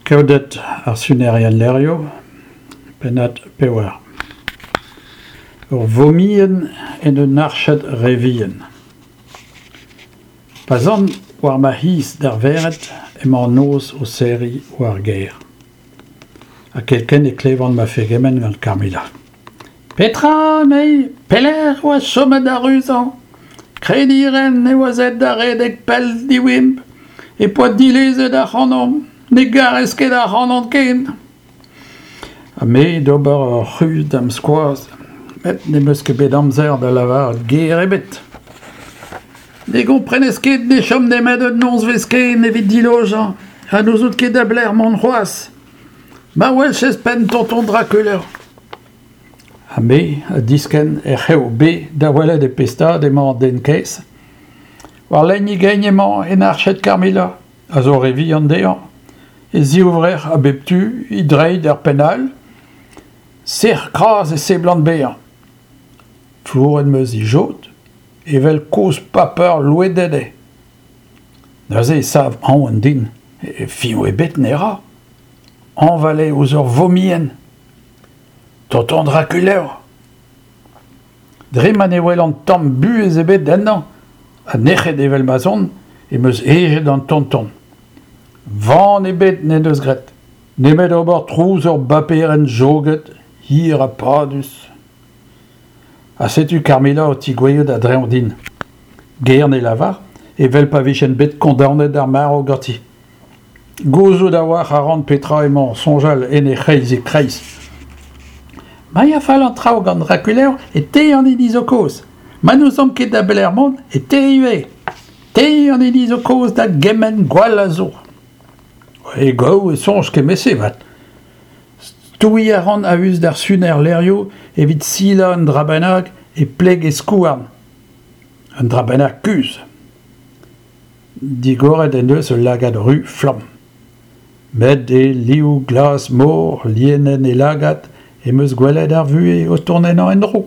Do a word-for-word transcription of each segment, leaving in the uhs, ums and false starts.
Keoded ar sunerien levrioù, pennad pevar. Ur vomienn en un arched re vihan. Pa'z an war ma c'hiz d'ar vered emañ an noz o serriñ war ar gêr. Ha kerkent e klevan ma fegement gant Carmilla. Petra, emezi, pelec'h e oa chomet da ruzañ ? Krediñ a raen e oas aet da redek pell diwarimp, e poa dilezet ac'hanomp, ne garez ket ac'hanon ken. Ha me d'ober ur c'hruz da'm skoaz, met ne'm eus ket bet amzer da lavaret ger ebet. Ne gomprenez ket ne chom nemet un nozvezh ken evit dilojañ ha n'ouzout ket da belec'h mont c'hoazh. Ma weljes penn tonton Drakuleur. Ha me ha diskenn er c'hev B da welet e pe stad emañ an den kaezh. War lein e gein emañ en arched Carmilla, a zo re vihan dezhañ. E zivrec'h a bep tu, e dreid er penn all. Sec'h-kras e seblant bezañ. Flouret em eus e jod, evel kozh paper louedet eo. Neuze e sav aon din, fiñv ebet ne ra. Hañval eo ouzh ur vomienn. Tonton Drakuleur. Dre ma ne welan tamm buhez ebet ennañ, ha nec'het evel ma'z on, em eus hejet an tonton. Van ebet n'en deus graet, nemet ober trouz ur baperenn joget, hir ha padus. Ha setu Carmilla o tigouezhout a-dreñv din. Ger ne lavar, evel pa vijen bet kondaonet d'ar marv ganti. Gouzout a-walc'h a ran petra emañ o soñjal en he c'hreizik-kreiz. Ma ya fall an traoù gant Drakuleur e te an hini zo kaoz. Ma n'ouzomp ket da belec'h mont e te ivez. Te an hini zo kaoz da gement gwall a zo. E gaou e soñj kement-se avat. Stouiñ a ran a-us d'ar suner levrioù evit silañ un dra bennak e pleg e skouarn. Un dra bennak kuzh. Digoret en deus ul lagad ruz flamm. Met e liv glas-mor lienenn e lagad em eus gwelet ar vuhez o tont ennañ en-dro.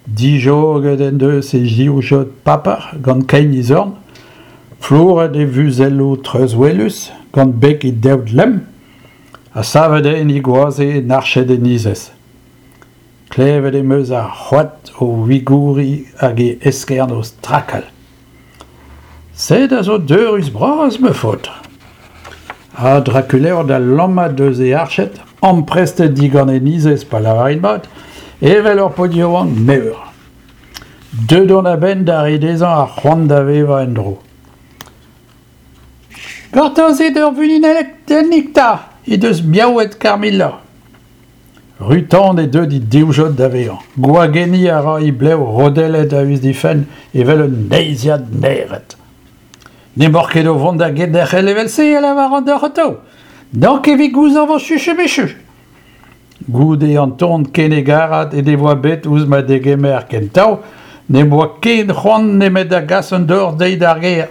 Dijoget en deus e zivjod paper gant kein e zorn, flouret e vuzelloù treuzwelus gant beg e deod lemm, ha savet eo en e goaze en arched e nizez. Klevet em eus ar c'hoad o wigouriñ hag e eskern o strakal. Sed a zo deurus-bras, ma faotr. Ha Drakuleur da lammat eus e arched, amprestet digant e nizez pa lavarin mat, evel ur paotr yaouank meur. Deuet on a-benn da reiñ dezhañ ar c'hoant da vevañ en-dro. Gortozit ur vunutennig 'ta, he deus miaouet Carmilla. Ru-tan eo deuet he divjod da vezañ. Gwagenniñ a ra he blev rodellet a-us d'he fenn evel un neizhiad naered. N'emaoc'h ket o vont da genderc'hel evel-se, a lavaran deoc'h atav. N'oc'h ket evit gouzañv ho chuchumichu. Goude an ton ken hegarat he devoa bet ouzh ma degemer kentañ, n'em boa ken c'hoant nemet da gas an dor dezhi d'ar gêr.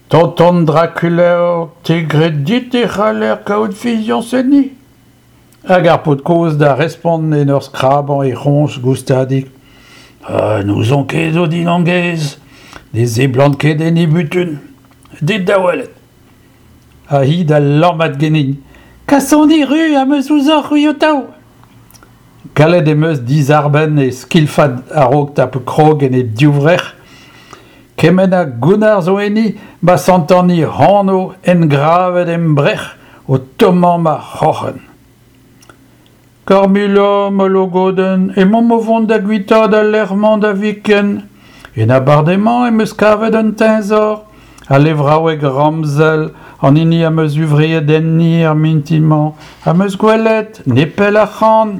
Tonton Drakuleur, te 'gred dit e c'haller kaout fiziañs enni ? Hag ar paotr kozh da respont en ur skrabañ e c'hroñj goustadik. Ah, n'ouzon ket, Odilon gaezh, ne seblant ket en he butun. Dit da welet. Ha hi da lammat ganin. Kasoni ru am eus ouzhoc'h c'hwi ho-taou. Gallet em eus dizarbenn e skilfad a-raok tapout krog en he divrec'h. Kement a gounnar zo enni ma santan he anv engravet em brec'h o tommañ ma c'hroc'hen. Carmilla, ma logodenn, emaomp o vont da guitaat al lec'h-mañ da viken. En abardaez-mañ em eus kavet un teñzor, al levraoueg ramzel, an hini am eus huñvreet enni er mintin-mañ, am eus gwelet, nepell ac'hann.